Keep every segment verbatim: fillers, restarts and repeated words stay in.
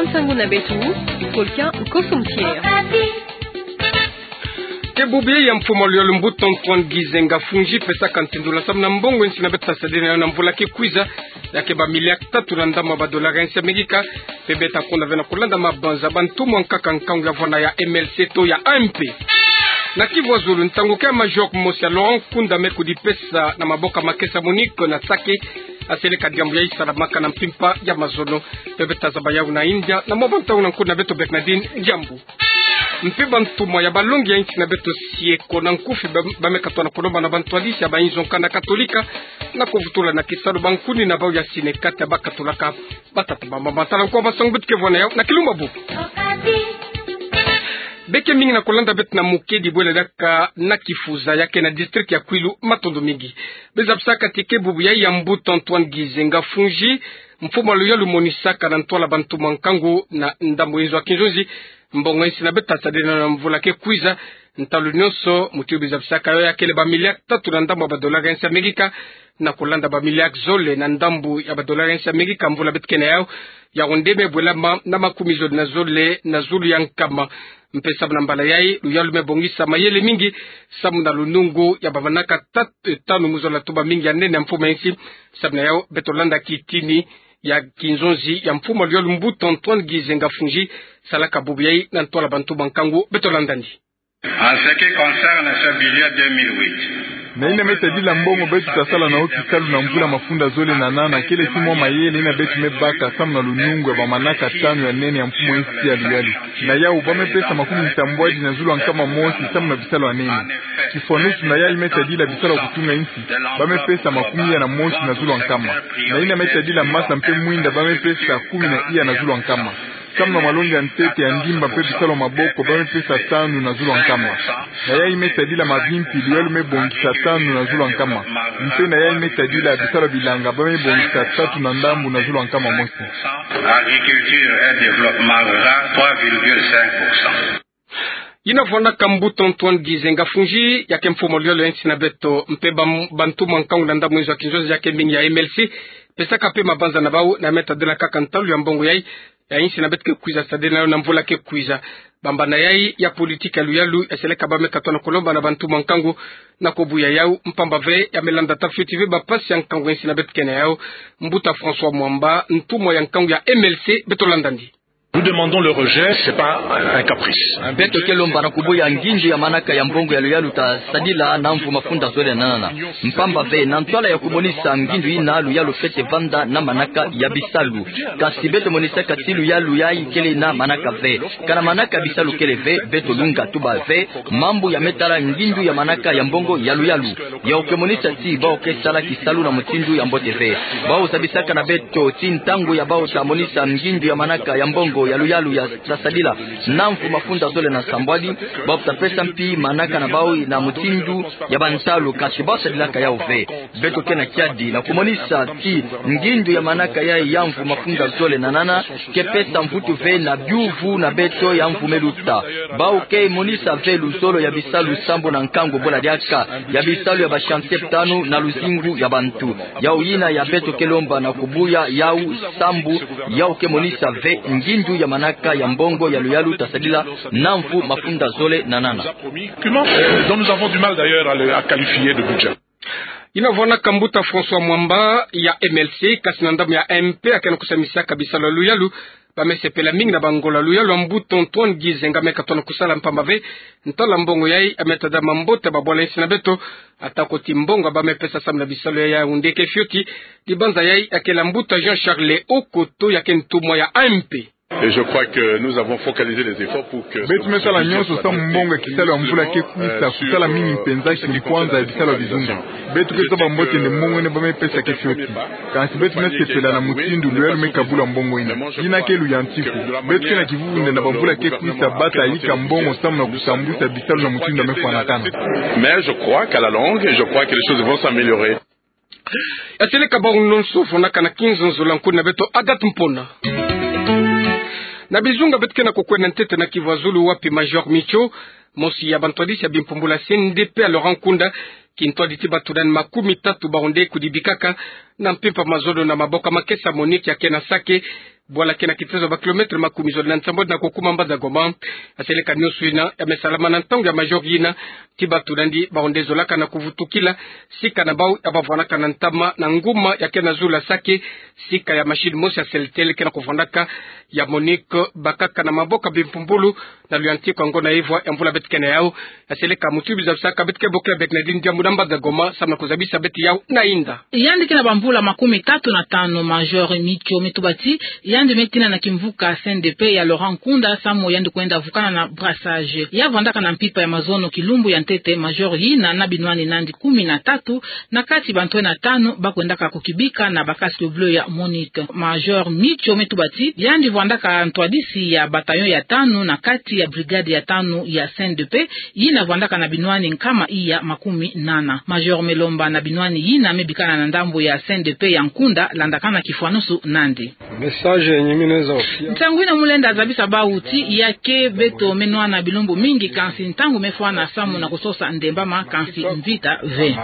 Nsangu na beto, Volcan Kosompier. Ke bubu ya mfumu a luyalu Mbuta Antoine Gizenga Fungi pesaka ntindula samu na mbongo ya insi na beto tasadila na mvula ke kwiza, ya ke ba milliards tatu na ndambu ya ba dollars ya insi Amerika, mpe beto takonda ve na kulanda mabanza ba ntumwa nkaka nkangu ya vwanda ya M L C to ya A M P. Na Kivu ya zulu, ntangu ke Major mosi ya Laurent Nkunda me kudipesa na maboko ya Makesa Monique na Sake, aseleka diambu yayi salamaka na mpimpa ya mazono, mpe beto tazaba yawu na India, na mwa ba ntangu na nkundi na beto Bernardine Diambu. Mpe ba ntumwa ya balongi ya insi na beto sieko na nkufi ba, ba me katola na kulomba na ba ntwadisi ya ba inzo nkanda Katolika, na kuvutula na kisalu ba nkuni na bawu ya sine kati ya ba katolaka. Batata, bamama, tala nko ba nsangu beto ke vwa na yawu na kilumbu bubu. Beke mingi na kulanda beto na mukedi bwela diaka na Kifuza ya ke na district ya Kwilu, matondo mingi. Bezabisaka ti ke bubu yayi ya Mbuta Antoine Gizenga Fungi, mfumu a luyalu monisaka na ntwala ba ntumwa nkangu na ndambu inzo ya kinzonzi, mbongo ya insi na beto tasadila na mvula ke kwiza, ntalu nyonso, muti yu bezabisaka yo ya kele ba milliards tatu na ndambu ya ba dollars ya insi Amerika, na kulanda ba milliards zole na ndambu ya ba dollars ya insi Amerika mvula beto ke na yawu, yawu nde me bwelama na makumi zole na zole na zulu ya nkama. Mpe samu na mbala yayi, luyalu me bongisa mayele mingi samu na lunungu ya ba manaka tat-, tanu mu zola tuba mingi ya nene ya mfumu ya insi. Samu na yawu, beto landa kitini ya kinzonzi ya mfumu a luyalu Mbuta Antoine Gizenga Fungi, salaka bubu yayi na ntwala ba ntumwa nkangu, beto landa ndi. En ce qui concerne ce budget deux mille huit, na yina me tadila mbongo beto tasala na yo kisalu na mvula mafunda zole na nana, kele ti mwa mayele yina beto me baka samu na lunungu ya ba manaka tanu ya nene ya mfumu ya insi ya luyalu. Na yawu ba me pesa makumi nsambwadi na zulu ya nkama mosi samu na bisalu ya nene. Kifwaneto na yayi me tadila bisalu ya kutunga insi, ba me pesa makumi iya na mosi na zulu ya nkama. Na yina me tadila masa mpe mwinda ba me pesa kumi na iya na zulu ya nkama. Samu na malongi ya ntete ya ndimba mpe bisalu ya maboko ba me pesa tanu na zulu ya nkama. Na yayi me tadila mabimpi, luyalu me bongisa tanu na zulu ya nkama. Mpe na yayi me tadila bisalu ya bilanga ba me bongisa tatu na ndambu na zulu ya nkama mosi. Agriculture et développement rural, trois virgule cinq pour cent. Yina vwandaka Mbuta Antoine Gizenga Fungi, ya ke mfumu a luyalu ya insi na beto, mpe ba, ba ntumwa nkangu na ndambu inzo ya kinzonzi ya ke mingi ya M L C, pesaka mpe mabanza na bawu, na me tadila kaka ntalu ya mbongo yayi, ya insi na beto ke kwiza sadila na yo na mvula ke kwiza. Bambana yayi ya politique ya luyalu, yaseleka ba me katola na kulomba na ba ntumwa nkangu, na kubuya yawu, mpamba ve, ya me landa ta fioti ve ba mpasi ya nkangu ya insi na beto ke na yawu. Mbuta François Mwamba, ntumwa ya nkangu ya M L C, beto landa ndi. Nous demandons le rejet, c'est pas un caprice. Beto ke lomba na kubuya ngindu ya manaka ya mbongo ya luyalu tasadila na mvu mafunda zole na nana. Mpamba ve, na ntwala ya kumonisa ngindu yina, luyalu fwete vanda na manaka ya bisalu. Kasi beto monisaka ti luyalu yayi kele na manaka ve. Kana manaka ya bisalu kele ve, beto lunga tuba ve mambu ya me tala ngindu ya manaka ya mbongo ya luyalu. Yawu ke monisa ti bawu ke sala kisalu na mutindu ya mbote ve. Bawu zabisaka na beto ti ntangu ya bawu ta monisa ngindu ya manaka ya mbongo ya luyalu ya tasadila na mvu mafunda zole na nsambwadi, bawu ta pesa mpi manaka na bawu na mutindu ya bansalu, kasi bawu sadilaka yawu ve. Beto ke na kiadi na kumonisa ti ngindu ya manaka yayi ya mvu mafunda zole na nana ke pesa mvutu ve na biuvu na beto ya mvu me luta. Bawu ke monisa ve luzolo ya bisalu sambu na nkangu bwela diaka ya bisalu ya ba chantier tanu na luzingu ya bantu. Yawu yina ya beto ke lomba na kubuya yawu sambu yawu ke monisa ve ngindu ya manaka ya mbongo ya luyalu tasadila na mvu mafunda zole na nana. Document, euh, dont nous avons du mal d'ailleurs à le, à qualifier de budget. Yina vwandaka Mbuta François Mwamba ya M L C, kasi na ndambu ya M P, ya ke na kusambisaka bisalu ya luyalu, ba me sepela mingi na bangolo ya luyalu ya Mbuta Antoine Gizenga me katola na kusala, mpamba ve ntalu ya mbongo yayi ya me tadila mambote ya babwala insi na beto, atako ti mbongo ba me pesa samu na bisalu yayi yawu nde ke fioti. Dibanza yayi ya kele ya Mbuta Jean Charles Okoto, ya ke ntumwa ya M P. Et je crois que nous avons focalisé les efforts pour que beto me sala nyonso samu mbongo ya kisalu ya mvula ke kwisa kutala mingi mpenza kimpwanza ya bisalu ya bizunga. Beto ke zaba mbote nde mbongo yina ba me pesa ke fioti. Kansi beto me sepela na mutindu luyalu me kabula mbongo yina. Yina ke luyantiku. Beto ke na kivuvu nde na bamvula ke kwisa bata yika mbongo samu na kusambwisa bisalu na mutindu ya me fwanakana. Mais je crois qu'à la longue, je crois que les choses vont s'améliorer. Ya seleka bawu nyonso fwanaka na kinzonzolo ya nkuni na beto Agathe Mpona. Na bizunga beto ke na kukwenda ntete na Kivu ya Zulu, wapi Major Micho, mosi ya bantwadisi ya bimpumbula C N D P ya Laurent Nkunda, kintwadi ti bato nani makumi tatu bawu nde kudibikaka na mpimpa mazono na maboko ya Makesa Monique ya ke na Sake, Bwala ke na kitezo ba kilometre makumi zole na nsambwadi na kukuma mbanza Goma. Aseleka nionso ina ya me salama na ntangu ya major ina, ti bato nandi baonde zolaka na kuvutukila sika na bau ya bavwandaka na ntama na nguma ya ke na zulu ya Sake, sika ya machine mosi ya Celtel ke na kuvwandaka, ya Monique, bakaka na maboko bimpumbulu na luyantikwa ngonda ya ivwa ya mvula beto ke na yau. Aseleka mutu bizabisaka beto ke bokila Bernardine Diambu na mbanza Goma, samu na kuzabisa beto yau na inda. Yandi ke na bamvula makumi tatu na tanu, Major Micho Metubati, yandi me tina na kimvuka C N D P ya Laurent Nkunda, samu yandi kwenda vukana na brassage. Ya vwandaka na mpimpa ya mazono kilumbu ya ntete, major ina na binwani nandi kumi na tatu, na kati bantwenia tanu ba kwendaka kukibika na ba casque bleu ya Monique. Major Micho Metubati, yandi vwandaka ntwadisi ya bataillon ya tanu na kati ya brigade ya tanu ya C N D P, ina vwandaka na binwani nkama iya makumi nana. Major Melomba na binwani ina me bikana na ndambu ya C N D P ya Nkunda, landakana kifwanusu nandi. Message yenye mimi naweza wapatia. Ntangu ina mu lenda zabisa bawu ti ya ke beto me nwana bilumbu mingi, kansi ntangu me fwana samu na kusosa ndembama, kansi mvita ve.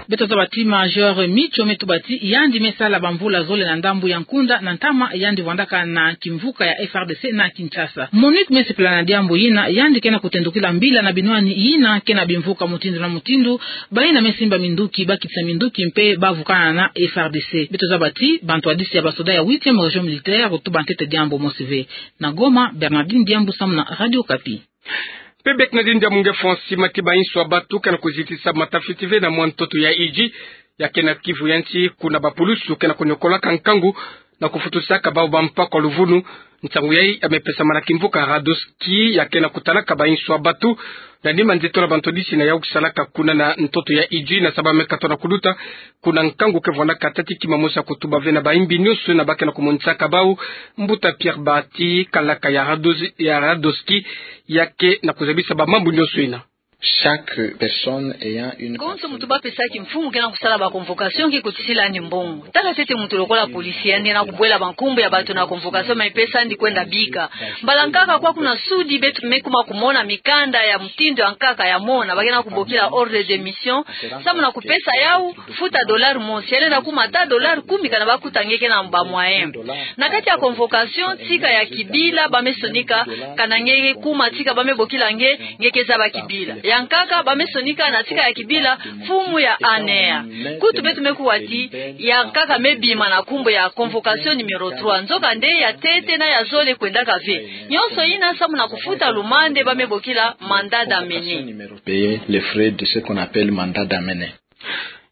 Beto zaba ti Major Micho Metubati, yandi me sala bamvula zole na ndambu ya Nkunda, na ntama yandi vwandaka na kimvuka ya F R D C na Kinshasa. Monique me sepela na diambu ina, yandi ke na kutendukila mbila na binwani ina ke na bimvuka mutindu na mutindu, ba ina me simba minduki, ba kitisa minduki mpe ba vukana na F R D C. Beto zaba ti bantwadisi ya basoda ya huitième région militaire, kutuba ntete diambu mosi ve. Na Goma, Bernardine Diambu samu na Radio Okapi. Mpe Bernardine Diambu nge fwa nsi mati ba insu ya bato ke na kuzitisa matafiti ve na mwa ntoto ya Idjwi, ya ke na Kivu ya nsi, kuna bapulusu ke na kuniokolaka nkangu na kufutusaka bau bampa kwa luvunu. Nsangu yayi ya me pesama na kimvuka Radoski, ya ke na kutalaka ba insu ya bato. Na nima nzeto na bantwadisi na yau kusalaka kuna na ntoto ya Idjwi, na saba me katwa na kuluta, kuna nkangu ke vwandaka tati kima mosi ya kutuba ve na bayimbi nionso na ba ke na kumonisaka bau. Mbuta Pierre Bahati, kalaka ya Rados-, ya Radoski, ya ke na kuzabisa ba mambu nionso ina. Chaque personne ayant une... Konso mutu ba pesaki mfumu ke na kusala ba convocation ke kotisila yandi mbongo. Tala ntete mutu lokola policier, yandi na kubwela bankumbu ya bato na convocation me pesa yandi kwenda bika. Mbala nkaka kwa kuna sudi beto me kuma kumona mikanda ya mutindu ya nkaka ya mona, ba ke na kubokila ordre de mission, samu na kupesa yau, futa dollar mosi, ya lenda kuma ata dollar kumi kana ba kuta nge ke na ba moyen. Na kati ya convocation, tika ya kibila ba me sonika, kana nge kuma tika ba me bokila nge, nge ke zaba kibila. Ya nkaka ba me sonika na tika ya kibila, mfumu ya A N R. Kutu beto me kuwa ti ya nkaka me bima na nkumbu ya convocation numéro trois. Nzokande ya ntete na ya zole kwendaka ve. Nionso ina samu na kufuta lumande ba me bokila mandat d'amener. Payer les frais de ce qu'on appelle mandat d'amener.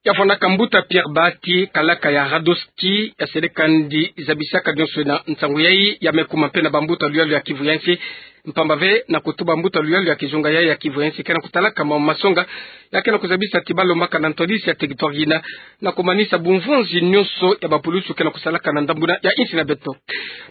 Ya fwana ka mbuta Pierre Bahati, kalaka ya Radoski, ya seleka ndi zabisaka nionso ina. Nsangu yayi ya me kuma mpe na bambuta luyalo ya Kivu ya nsi, mpamba ve na kutuba mbuta luyalo ya kizunga yayi ya Kivu ya nsi ke na kutalaka mambu masonga, ya ke na kuzabisa ti ba lombaka na ntwadisi ya territoire ina na kumanisa bumvonzi nionso ya bapulusu ke na kusalaka na ndambu ina ya insi na beto.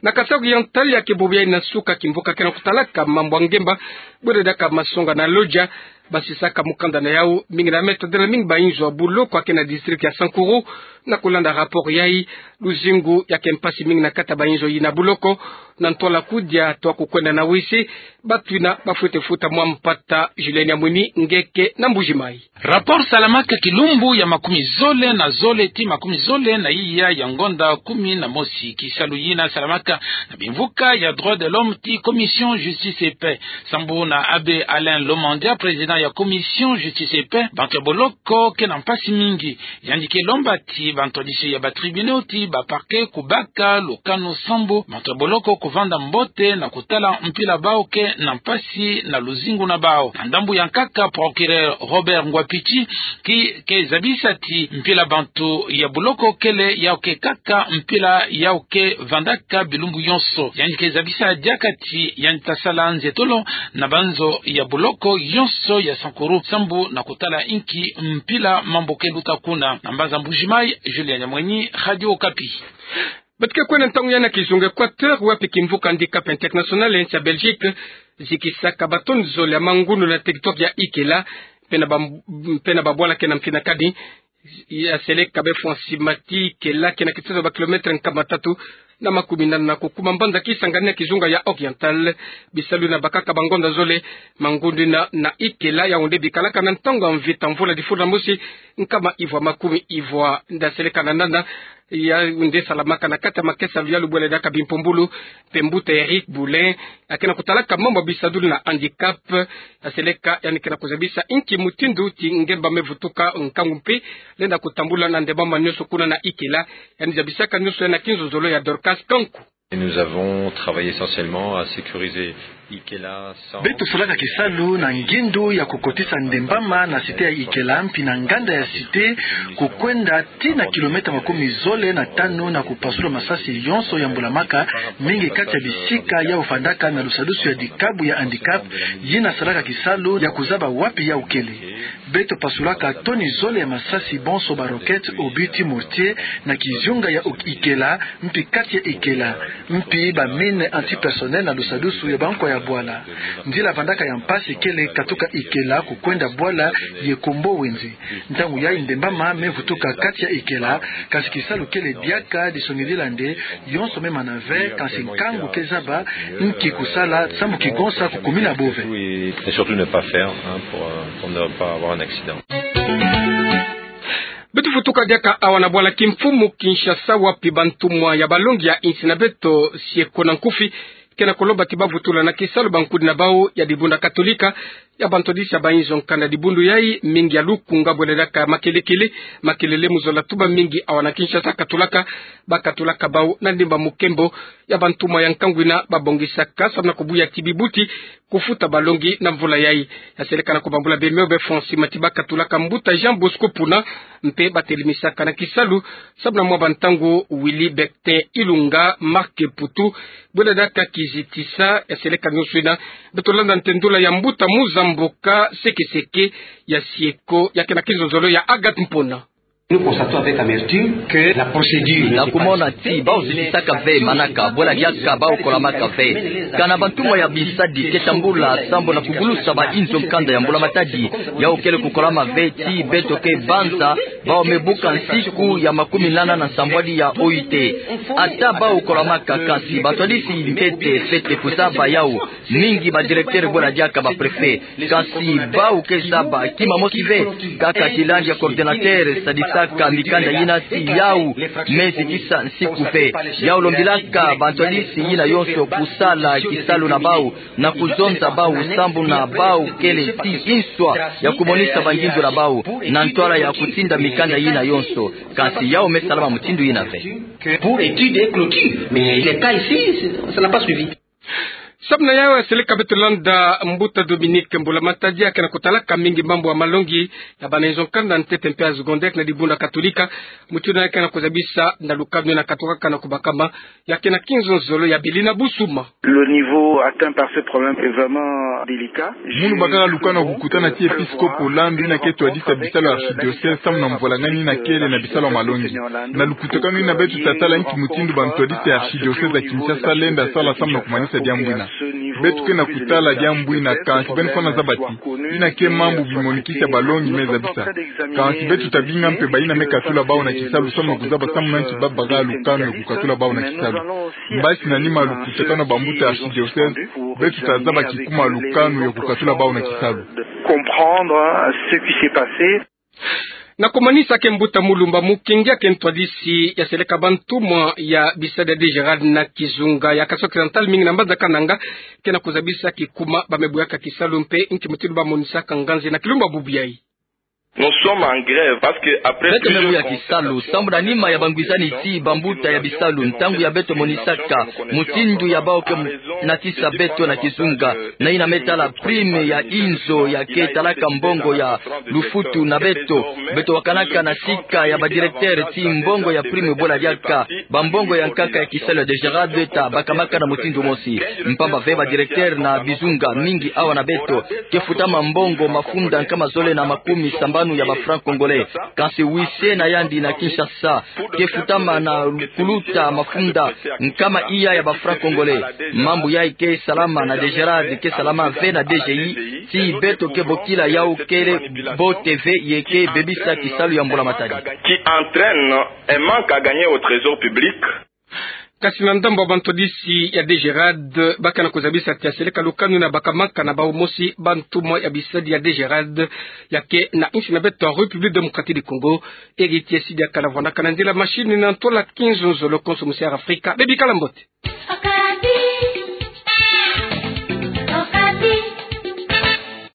Na Kasaï Oriental, ya ke bubu yayi na suka kimvuka ke na kutalaka mambu ya ngemba, bwele daka masonga na Lodja, basisaka mukanda na yau mingi na me tadela mingi ba inzo ya buloko ya ke na district ya Sankuru. Na kulanda rapport yayi, luzingu ya ke mpasi mingi na kati ya ba inzo ina ya buloko, na ntwala kudia twa kukwenda na wisi, bato ina ba fwete futa mwa mpata. Julien Nyamwini, nge ke na Mbuji-Mayi. Rapport salamaka kilumbu ya makumi zole na zole ti makumi zole na iya ya ngonda kumi na mosi. Kisalu yina salamaka na bimvuka ya droits de l'homme ti Commission Justice et Paix. Sambu na Abbé Alain Lomandia, président ya Commission Justice et Paix, bantu ya boloko ke na mpasi mingi. Yandi ke lomba ti bantwadisi ya ba tribunaux ti ba parquets kubaka lukanu sambu bantu ya boloko kuvanda mbote na kutala mpila bau ke na mpasi na luzingu na bau. Na ndambu ya nkaka, procureur Robert Ngwapiti ki ke zabisa ti mpila bantu ya boloko kele yau ke kaka mpila yau ke vandaka bilumbu yonso. Yandi ke zabisa diaka ti yandi ta sala nzietolo na banzo ya boloko yonso ya Sankuru sambu na kutala inki mpila mambu ke luta kuna. Na mbanza Mbuji-Mayi, Julien Nyamwini, Radio Okapi. Beto ke kwenda ntangu yina na kizunga Équateur, wapi kimvuka Handicap International ya nsi ya Belgique zikisaka ba tonnes zole ya mangundu na territoire ya Ikela, mpe na ba, mpe na babwala ke na mfinakani. Ya seleka befwa nsi mati Ikela ke na kitezo ba kilomètre nkama tatu na makumi nana na kukuma mbanza Kisangani na kizunga ya Oriental. Bisalu na bakaka ba ngonda zole, mangundu ina na Ikela, yawu nde bikalaka na ntangu ya mvita mvula difulu na mosi, nkama ivwa makumi ivwa. Nda seleka na nana ya nde salamaka na kati ya makesa luyalu bwela diaka bimpumbulu, mpe mbuta Eric Boulin, ya ke na kutalaka mambu ya bisadulu na handicap, ya seleka yandi ke na kuzabisa inki mutindu ti ngemba me vutuka nkangu mpe lenda kutambula na ndembama nyonso kuna na Ikela, yandi zabisaka nyonso yandi na kinzonzolo ya Dorcas Kanku. Et nous avons travaillé essentiellement à sécuriser Ikela sans... Beto salaka kisalu na ngindu ya kukotisa ndembama na cité ya Ikela, mpi na nganda ya cité, kukwenda tii na kilomètre makumi zole na tanu na kupasula masasi yonso ya mbulamaka, mingi kati ya bisika yau vandaka na lusadusu ya dikabu ya handicap, yina salaka kisalu ya kuzaba wapi yau kele. Beto pasulaka toni zole ya masasi bonso ba roquette, obus ti mortier, na kizunga ya Ikela, mpi kati ya Ikela, mpi ba mine antipersonnel na lusadusu ya bankwa ya bwala. Nzila vandaka ya mpasi kele katuka Ikela kukwenda bwala ye Kombo Wenze. Ntangu yayi ndembama me vutuka kati ya Ikela, kasi kisalu kele diaka disongidila nde, yonso me mana ve, kasi nkangu ke zaba inki kusala, sambu kigonsa kukumina bo ve. Et surtout ne pas faire, hein, pour, euh, pour ne pas avoir un accident. Beto vutuka diaka awa na bwala kimfumu Kinshasa, wapi bantumwa ya balongi ya insi na beto, Sieko na nkufi, ke na kulomba ti ba vutula na kisalu bankudi na bau ya dibundu katolika, ya bantwadisi ya bayinzo nkanda. Dibundu yayi, mingi ya lukunga bwela diaka makelekele, makelele mu zola tuba mingi awa na Kinshasa katulaka, ba katulaka bau na ndimba mukembo ya bantumwa ya nkangu yina ba bongisaka, samu na kubuya ti bibuti kufuta balongi na mvula yayi. Ya seleka na kubambula bemeo be Francis Matiba katulaka mbuta Jean Bosco Puna, mpe ba telemisaka na kisalu, samu na mwa bantangu Willy Bectin Ilunga, Marc Putu, bwela diaka kizitisa. Ya seleka nyonso yina, beto landa ntendula ya mbuta Muzamboka Sekeseke ya Sieko, ya ke na kizonzolo ya Agathe Mpona. Nous constatons avec amertume que la procédure... Na kumona ti bau zitisaka ve manaka, bwela diaka bau kolamaka ve. Kana bantumwa ya bisadi ke tambula sambu na kugulusa bayinzo nkanda ya mbula matadi, yau kele kukolama ve ti beto ke banza, bau me buka nsiku ya makumi nana na nsambwadi ya O I T. Ata bau kolamaka, kasi bantwadisi ntete fwete kuzaba yau. Mingi ba directeur bwela diaka ba préfet. Kasi bau ke zaba kima mosi ve, kaka tilandi ya coordinateur sadisaka mikanda yina ti yau me zitisa nsiku ve. Yau lombilaka bantwadisi yina yonso kusala kisalu na bau, na kuzonza bau sambu na bau kele ti inswa ya kumonisa bangindu na bau na ntwala ya kutinda mikanda yina yonso. Kasi yau me salama mutindu yina ve. Que pour étude et clôture. Mais les cas ici, ça n'a pas suivi. Samu na yau ya seleka beto landa mbuta Dominique Mbulamatadi, ya ke na kutalaka mingi mambu ya malongi ya bana inzo nkanda ntete mpe ya secondaire na dibundu katolika. Mutindu yina ya ke na kuzabisa na lukanu yina katukaka na kubakama, ya ke na kinzonzolo ya Belina Busuma. Le niveau atteint par ce problème est vraiment délicat. Munu bakala lukanu ya kukutana ti episkopo Landu yina ke twadisa bisalu ya archidiocèse samu na mvwalangani yina kele na bisalu ya malongi. Na lukutakanu yina beto tatala inki mutindu bantwadisi ya archidiocèse ya Kinshasa lenda sala samu na kumanisa diambu yina. Beto ke na kutala diambu yina, kansi beno fwana zaba ti yina ke mambu bimonikisa balongi me zabisa. Kansi beto tabinga mpe bayina me katula bau na kisalu samu na kuzaba samu na nki ba bakala lukanu ya kukatula bau na kisalu. Mbasi na nima ya lukutakanu ya bambuta ya archidiocèse, beto tazaba kikuma lukanu ya kukatula bau na kisalu. Comprendre ce qui s'est passé. Na kumanisa ke mbuta Mulumba Mukingi, ya ke ntwadisi ya seleka bantumwa ya bisadi ya DGRAD na kizunga ya Kasai Occidental, mingi na mbanza Kananga, ke na kuzabisa kikuma ba me buyaka kisalu mpe inki mutindu ba monisaka nganzi na kilumbu bubu yayi. Nous sommes en grève parce que après... Beto me buya kisalu sambu na nima ya bangwizani ti bambuta ya bisalu, ntangu ya beto monisaka mutindu ya bau ke natisa beto na kizunga, na yina me tala prime ya inzo ya ke talaka mbongo ya lufutu na beto. Beto wakanaka na sika ya ba directeur ti mbongo ya prime bwela diaka bambongo ya nkaka ya kisalu ya DGRAD ta bakamaka na mutindu mosi. Mpamba ve ba directeur na bizunga mingi awa na beto ke futama mbongo mafunda nkama zole na makumi sambanu ya ba francs congolais. Kansi huissier na yandi na Kinshasa ke futama na kuluta mafunda nkama iya ya ba francs congolais. Mambu yayi ke salama na DGRAD, ke salama ve na DGI, ti beto ke bokila yau kele mbote ve ye ke bebisa kisalu ya mbulamatadi. Qui entraîne un manque à gagner au trésor public. Kasi na ndambo ya bantwadisi ya DGRAD, bakana kuzabisa tia seleka lukanu na bakamanka na bawu mosi bantumwa ya bisadi ya DGRAD, ya ke na insi na beto République Démocratique du Congo, eri tia sidi akala vwanakana nzila machine na ntola kinzonzolo konso musi ya Afrika, bebi kala mbote.